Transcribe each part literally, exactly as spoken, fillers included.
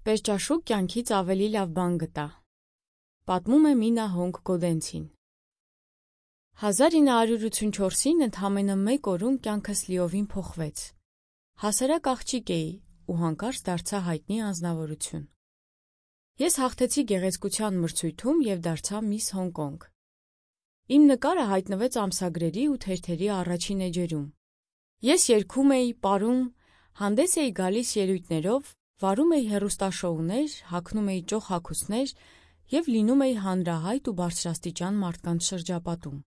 Պերճաշուկ կյանքից ավելի լավ բան գտա։ Պատմում է Մինա Հոնգ Գոդենցին։ հազար ինը հարյուր ութսունչորսին ընդամենը մեկ օրում կյանքս լիովին փոխվեց։ Հասարակ աղջիկ էի ու հանկարծ դարձա հայտնի անձնավորություն։ Ես հաղթեցի գեղեցկության մրցույթում և դարձա Միս Հոնկոնգ։ Իմ նկարը հայտնվեց ամսագրերի ու թերթերի առաջին էջերում։ Ես երգում էի, պարում, հանդես էի գալիս ելույթներով, վարում էի հեռուստաշոուներ, հագնում էի ճոխ հագուստներ և լինում էի հանրահայտ ու բարձրաստիճան մարդկանց շրջապատում,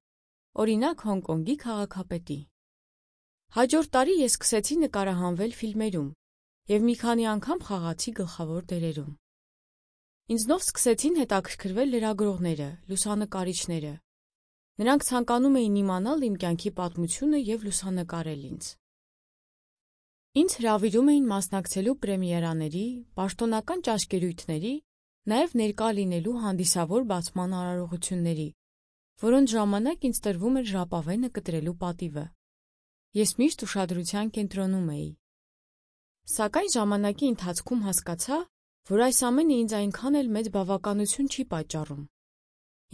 օրինակ Հոնկոնգի քաղաքապետի։ Հաջորդ տարի ես սկսեցի նկարահանվել ֆիլմերում և մի քանի անգամ խաղացի գլխավոր դերերում։ Ինձնով սկսեցին հետաքրքրվել լրագրողները, լուսանկարիչները։ Նրանք ցանկանում էին իմանալ իմ կյանքի պատմությունը և լուսանկարել ինձ։ Ինձ հրավիրում էին մասնակցելու պրեմիերաների, պաշտոնական ճաշկերույթների, նաև ներկա լինելու հանդիսավոր բացման արարողությունների, որոնց ժամանակ ինձ տրվում էր ժապավենը կտրելու պատիվը։ Ես միշտ ուշադրության կենտրոնում էի։ Սակայն ժամանակի ընթացքում հասկացա, որ այս ամենը ինձ այնքան էլ մեծ բավականություն չի պատճառում։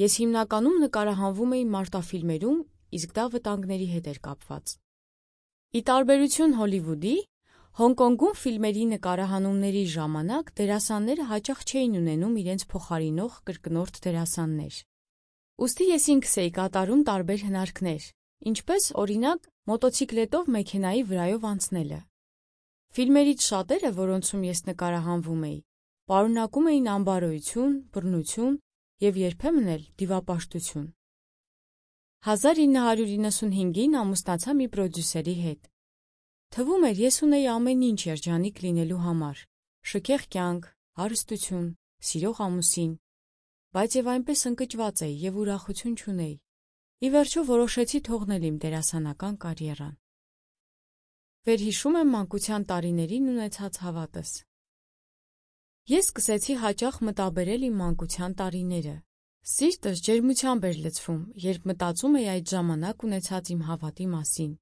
Ես հիմնականում նկարահանվում էի մարտաֆիլմերում, իսկ դա վտանգների հետ էր կապված։ Ի տարբերություն Հոլիվուդի, Հոնկոնգում ֆիլմերի նկարահանումների ժամանակ դերասանները հաճախ չէին ունենում իրենց փոխարինող կրկնորդ դերասաններ։ Ուստի ես ինքս էի կատարում տարբեր հնարքներ, ինչպես, օրինակ, մոտոցիկլետով մեքենայի վրայով անցնելը։ Ֆիլմերից շատերը, որոնցում ես նկարահանվում էի, պարունակում էին անբարոյություն, բռնություն և երբեմն էլ դիվապաշտություն։ հազար ինը հարյուր իննսունհինգին ամուսնացա մի պրոդյուսերի հետ։ Թվում էր, ես ունեի ամեն ինչ երջանիկ լինելու համար՝ շքեղ կյանք, հարստություն, սիրող ամուսին, բայց և այնպես ընկճված էի և ուրախություն չունեի։ Ի վերջո որոշեցի թողնել իմ դերասանական կարիերան։ Վերհիշում եմ մանկության տարիներին ունեցած հավատս։ Ես սկսեցի հաճախ մտաբերել իմ մանկության տարիները։ Սիրտս ջերմությամբ էր լցվում, երբ մտածում էի այդ ժամանակ ունեցած իմ հավատի մասին։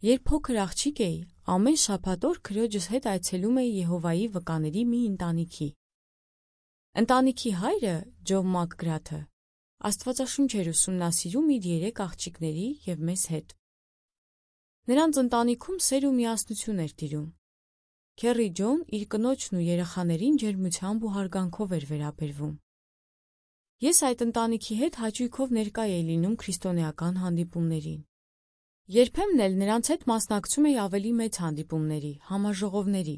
Երբ փոքր աղջիկ էի, ամեն շաբաթ օր քրոջս հետ այցելում էի Եհովայի վկաների մի ընտանիքի։ Ընտանիքի հայրը՝ Ջոն Մակգրաթը, Աստվածաշունչ էր ուսումնասիրում իր երեք աղջիկների և մեզ հետ։ Նրանց ընտանիքում սեր ու միասնություն էր տիրում։ Քեռի Ջոն իր կնոջն ու երեխաներին ջերմությամբ ու հարգանքով էր վերաբերվում։ Ես այդ ընտանիքի հետ հաճույքով ներկա էի լինում քրիստոնեական հանդիպումներին։ Երբեմն էլ նրանց հետ մասնակցում էի ավելի մեծ հանդիպումների, համաժողովների։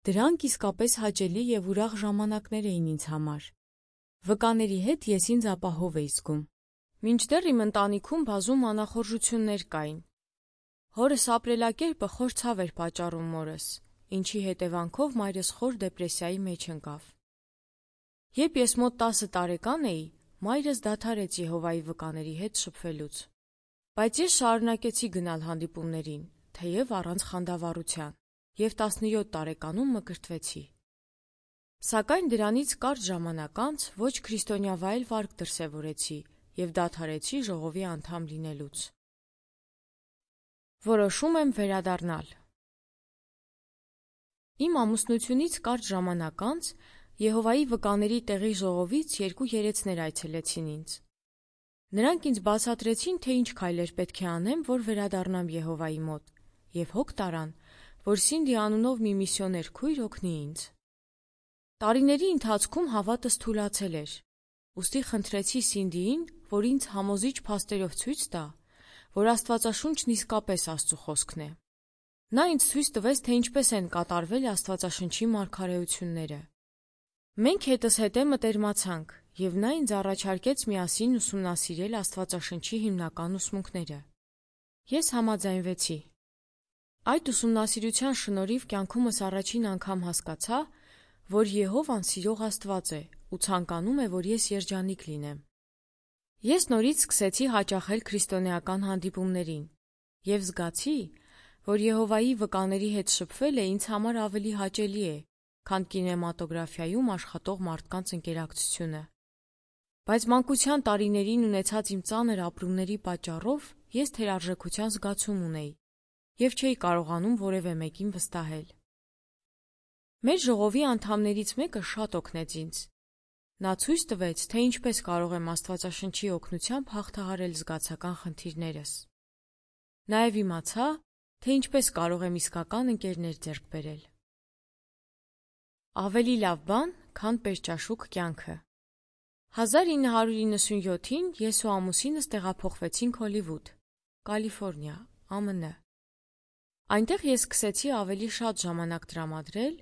Դրանք իսկապես հաճելի և ուրախ ժամանակներ էին ինձ համար։ Վկաների հետ ես ինձ ապահով էի զգում։ Մինչդեռ իմ ընտանիքում բազում անախորժություններ կային։ Հորս ապրելակերպը խոր ցավ էր պատճառում մորս, ինչի հետևանքով մայրս խոր դեպրեսիայի մեջ ընկավ։ Երբ ես մոտ տասը տարեկան էի, մայրս դադարեց Եհովայի վկաների հետ շփվելուց։ Բայց ես շարունակեցի գնալ հանդիպումներին, թեև առանց խանդավառության, և տասնյոթ տարեկանում մկրտվեցի։ Սակայն դրանից կարճ ժամանակ անց ոչ քրիստոնյա վարք դրսևորեցի և դադարեցի ժողովի անդամ լինելուց։ Որոշում եմ վերադառնալ։ Իմ ամուսնությունից կարճ ժամանակ անց Եհովայի վկաների տեղի ժողովից երկու երեցներ այցելեցին ինձ։ Նրանք ինձ բացատրեցին, թե ինչ քայլեր պետք է անեմ, որ վերադառնամ Եհովայի մոտ, և հոգ տարան, որ Սինդի անունով մի միսիոներ քույր օգնի ինձ։ Տարիների ընթացքում հավատս թուլացել էր, ուստի խնդրեցի Սինդիին, որ ինձ համոզիչ փաստերով ցույց տա, որ Աստվածաշունչն իսկապես Աստծու խոսքն է։ Նա ինձ ցույց տվեց, թե ինչպես են կատարվել Աստվածաշնչի մարգարեությունները։ Մենք հետզհետե մտերմացանք, և նա ինձ առաջարկեց միասին ուսումնասիրել Աստվածաշնչի հիմնական ուսմունքները։ Ես համաձայնվեցի։ Այդ ուսումնասիրության շնորհիվ կյանքումս առաջին անգամ հասկացա, որ Եհովան սիրող Աստված է ու ցանկանում է, որ ես երջանիկ լինեմ։ Ես նորից սկսեցի հաճախել քրիստոնեական հանդիպումներին և զգացի, որ Եհովայի վկաների հետ շփվելը ինձ համար ավելի հաճելի է, քան կինեմատոգրաֆիայում աշխատող մարդկանց ընկերակցությունը։ Բայց մանկության տարիներին ունեցած իմ ծանր ապրումների պատճառով ես թերարժեքության զգացում ունեի և չէի կարողանում որևէ մեկին վստահել։ Մեր ժողովի անդամներից մեկը շատ օգնեց ինձ։ Նա ցույց տվեց, թե ինչպես կարող եմ Աստվածաշնչի օգնությամբ հաղթահարել զգացական խնդիրներս։ Նաև իմացա, թե ինչպես կարող եմ իսկական ընկերներ ձեռք բերել։ Ավելի լավ բան, քան պերճաշուք կյանքը։ հազար ինը հարյուր իննսունյոթին ես ու ամուսինս տեղափոխվեցինք Հոլիվուդ, Կալիֆոռնիա, ԱՄՆ։ Այնտեղ ես սկսեցի ավելի շատ ժամանակ տրամադրել,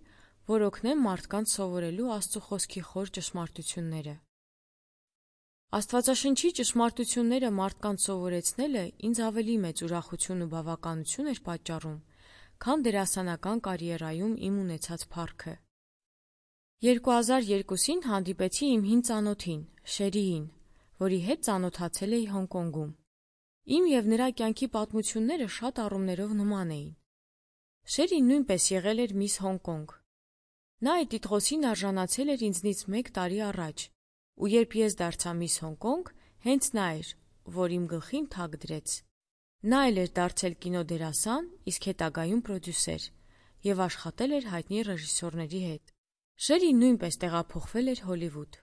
որ օգնեմ մարդկանց սովորելու Աստծո խոսքի խոր ճշմարտությունները։ Աստվածաշնչի ճշմարտությունները մարդկանց սովորեցնելը ինձ ավելի մեծ ուրախություն ու բավականություն էր պատճառում, քան դերասանական կարիերայում իմ ունեցած փառքը։ երկու հազար երկուսին հանդիպեցի իմ հին ծանոթին, Շերիին, որի հետ ծանոթացել էի Հոնկոնգում։ Իմ և նրա կյանքի պատմությունները շատ առումներով նման էին։ Շերին նույնպես եղել էր Միս Հոնկոնգ։ Նա այդ տիտղոսին արժանացել էր ինձնից մեկ տարի առաջ, ու երբ ես դարձա Միս Հոնկոնգ, հենց նա էր, որ իմ գլխին թագ դրեց։ Նա էլ էր դարձել կինոդերասան, իսկ հետագայում պրոդյուսեր, և աշխատել էր հայտնի ռեժիսորների հետ։ Շերին նույնպես տեղափոխվել էր Հոլիվուդ։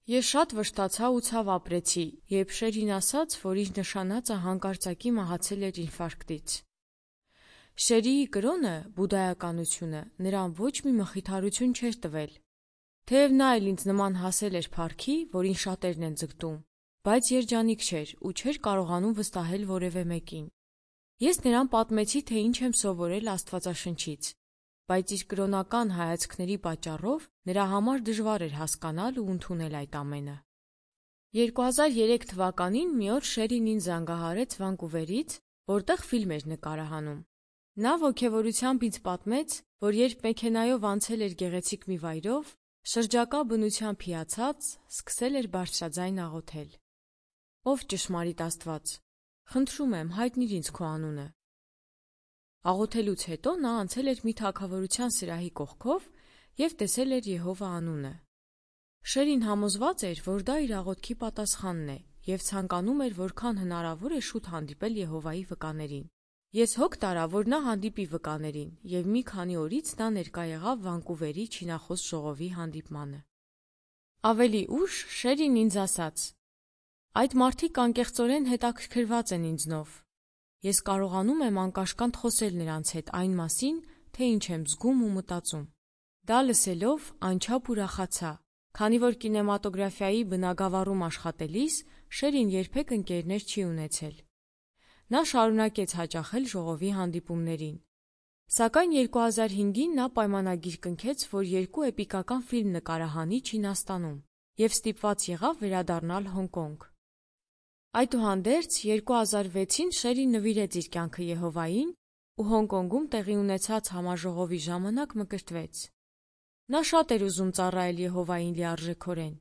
Ես շատ վշտացա ու ցավ ապրեցի, երբ Շերին ասաց, որ իր նշանածը հանկարծակի մահացել էր ինֆարկտից։ Շերիի կրոնը, բուդդայականությունը, նրան ոչ մի մխիթարություն չէր տվել։ Թեև նա էլ ինձ նման հասել էր փառքի, որին շատերն են ձգտում, բայց երջանիկ չէր ու չէր կարողանում վստահել որևէ մեկին։ Ես նրան պատմեցի, թե ինչ եմ սովորել Աստվածաշնչից, բայց իր կրոնական հայացքների պատճառով նրա համար դժվար էր հասկանալ ու ընդունել այդ ամենը։ երկու հազար երեք թվականին մի օր Շերին ինձ զանգահարեց Վանկուվերից, որտեղ ֆիլմ էր նկարահանում։ Նա ոգևորությամբ ինձ պատմեց, որ երբ մեքենայով անցել էր գեղեցիկ մի վայրով, շրջակա բնությամբ հիացած, սկսել էր բարձրաձայն աղոթել. «Ով ճշմարիտ Աստված, խնդրում եմ, հայտնիր ինձ քո անունը»։ Աղոթելուց հետո նա անցել էր մի թագավորության սրահի կողքով և տեսել էր Եհովա անունը։ Շերին համոզված էր, որ դա իր աղոթքի պատասխանն է և ցանկանում էր որքան հնարավոր է շուտ հանդիպել Եհովայի վկաներին։ Ես հոգ տարա, որ նա հանդիպի վկաներին, և մի քանի օրից նա ներկա եղավ Վանկուվերի չինախոս ժողովի հանդիպմանը։ Ավելի ուշ Շերին ինձ ասաց. «Այդ մարդիկ անկեղծորեն հետաքրքրված են ինձնով։ Ես կարողանում եմ անկաշկանդ խոսել նրանց հետ այն մասին, թե ինչ եմ զգում ու մտածում»։ Դա լսելով անչափ ուրախացա, քանի որ կինեմատոգրաֆիայի բնագավառում աշխատելիս Շերին երբեք ընկերներ չի ունեցել։ Նա շարունակեց հաճախել ժողովի հանդիպումներին։ Սակայն երկու հազար հինգին նա պայմանագիր կնքեց, որ երկու էպիկական ֆիլմ նկարահանի Չինաստանում և ստիպված եղավ վերադառնալ Հոնկոնգ։ Այդուհանդերձ, երկու հազար վեցին Շերին նվիրեց իր կյանքը Եհովային ու Հոնկոնգում տեղի ունեցած համաժողովի ժամանակ մկրտվեց։ Նա շատ էր ուզում ծառայել Եհովային լիարժեքորեն,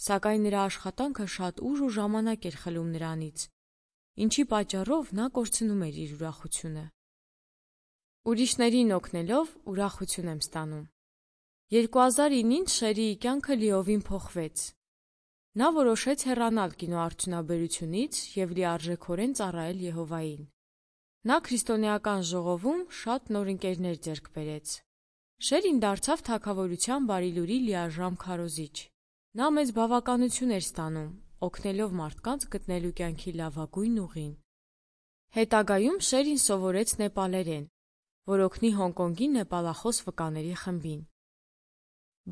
սակայն նրա աշխատանքը շատ ուժ ու ժամանակ էր խլում նրանից, ինչի պատճառով նա կորցնում էր իր ուրախությունը։ Ուրիշներին օգնելով ուրախություն եմ ստանում։ երկու հազար ինին Շերիի կյանքը լիովին փոխվեց։ Նա որոշեց հեռանալ կինոարդյունաբերությունից և լիարժեքորեն ծառայել Եհովային։ Նա քրիստոնեական ժողովում շատ նոր ընկերներ ձեռք բերեց։ Շերին դարձավ թագավորության Բարի Լուրի լիարժան քարոզիչ։ Նա մեծ բավականություն էր ստանում, օգնելով մարդկանց գտնելու կյանքի լավագույն ուղին։ Հետագայում Շերին սովորեց նեպալերեն, որ օգնի Հոնկոնգի նեպալախոս վկաների խմբին։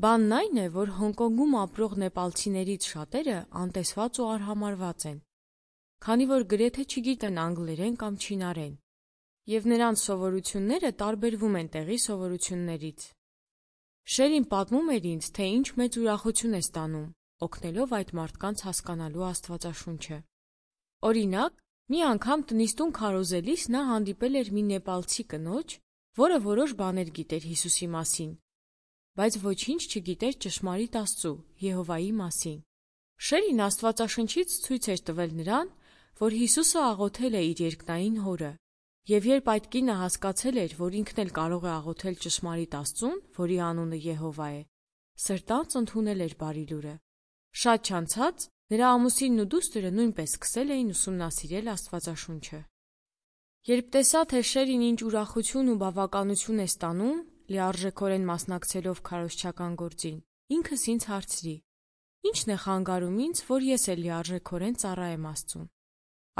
Բանն այն է, որ Հոնկոնգում ապրող նեպալցիներից շատերը անտեսված ու արհամարհված են, քանի որ գրեթե չգիտեն անգլերեն կամ չինարեն, և նրանց սովորությունները տարբերվում են տեղի սովորություններից։ Շերին պատմում էր ինձ, թե ինչ մեծ ուրախություն է ստանում, օգնելով այդ մարդկանց հասկանալու Աստվածաշունչը։ Օրինակ, մի անգամ տնից տուն քարոզելիս նա հանդիպել էր մի նեպալցի կնոջ, որը որոշ բաներ գիտեր Հիսուսի մասին, բայց ոչինչ չգիտեր ճշմարիտ Աստծու, Եհովայի մասին։ Շերին Աստվածաշնչից ցույց էր տվել նրան, որ Հիսուսը աղոթել է իր երկնային Հորը, և երբ այդ կինը հասկացել էր, որ ինքն էլ կարող է աղոթել ճշմարիտ Աստծուն, որի անունը Եհովա է, սրտանց ընդունել էր Բարի Լուրը։ Շատ չանցած նրա ամուսինն ու դուստրը նույնպես սկսել էին ուսումնասիրել Աստվածաշունչը։ Երբ տեսա, թե Շերին ինչ ուրախություն ու բավականություն է ստանում, լիարժեքորեն մասնակցելով քարոզչական գործին, ինքս ինձ հարցրի. ի՞նչն է խանգարում ինձ, որ ես էլ լիարժեքորեն ծառայեմ Աստծուն։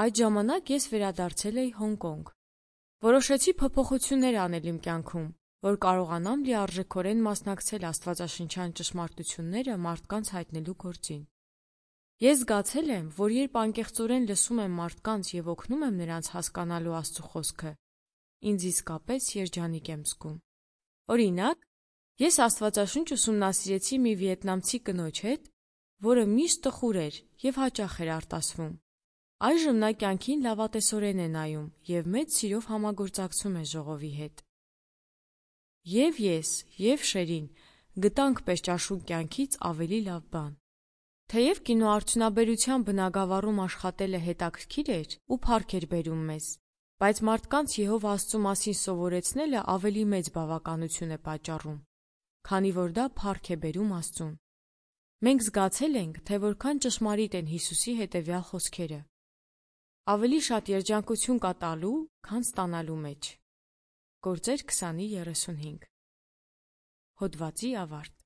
Այդ ժամանակ ես վերադարձել էի Հոնկոնգ։ Որոշեցի փոփոխություններ անել իմ կյանքում, որ կարողանամ լիարժեքորեն մասնակցել աստվածաշնչյան ճշմարտությունները մարդկանց հայտնելու գործին։ Ես զգացել եմ, որ երբ անկեղծորեն լսում եմ մարդկանց և օգնում եմ նրանց հասկանալու Աստծո խոսքը, ինձ իսկապես երջանիկ եմ զգում։ Օրինակ, ես աստվածաշունչ ուսումնասիրեցի մի վիետնամցի կնոջ հետ, որը միշտ տխուր էր և հաճախ էր արտասվում։ Այժմ նա կյանքին լավատեսորեն է նայում և մեծ սիրով համագործակցում է ժողովի հետ։ Եվ ես, և Շերին գտանք պերճաշուն կյանքից ավելի լավ բան։ Թեև կինոարդյունաբերության բնագավառում աշխատելը հետաքրքիր էր ու փառք էր բերում մեզ, բայց մարդկանց Եհովա Աստծու մասին սովորեցնելը ավելի մեծ բավականություն է պատճառում, քանի որ դա փառք է բերում Աստծուն։ Մենք զգացել ենք, թե որքան ճշմարիտ են Հիսուսի հետևյալ խոսքերը. ավելի շատ երջանկություն կա տալու, քան ստանալու մեջ։ Գործեր քսանի երեսունհինգ։ Հոդվացի ավարտ։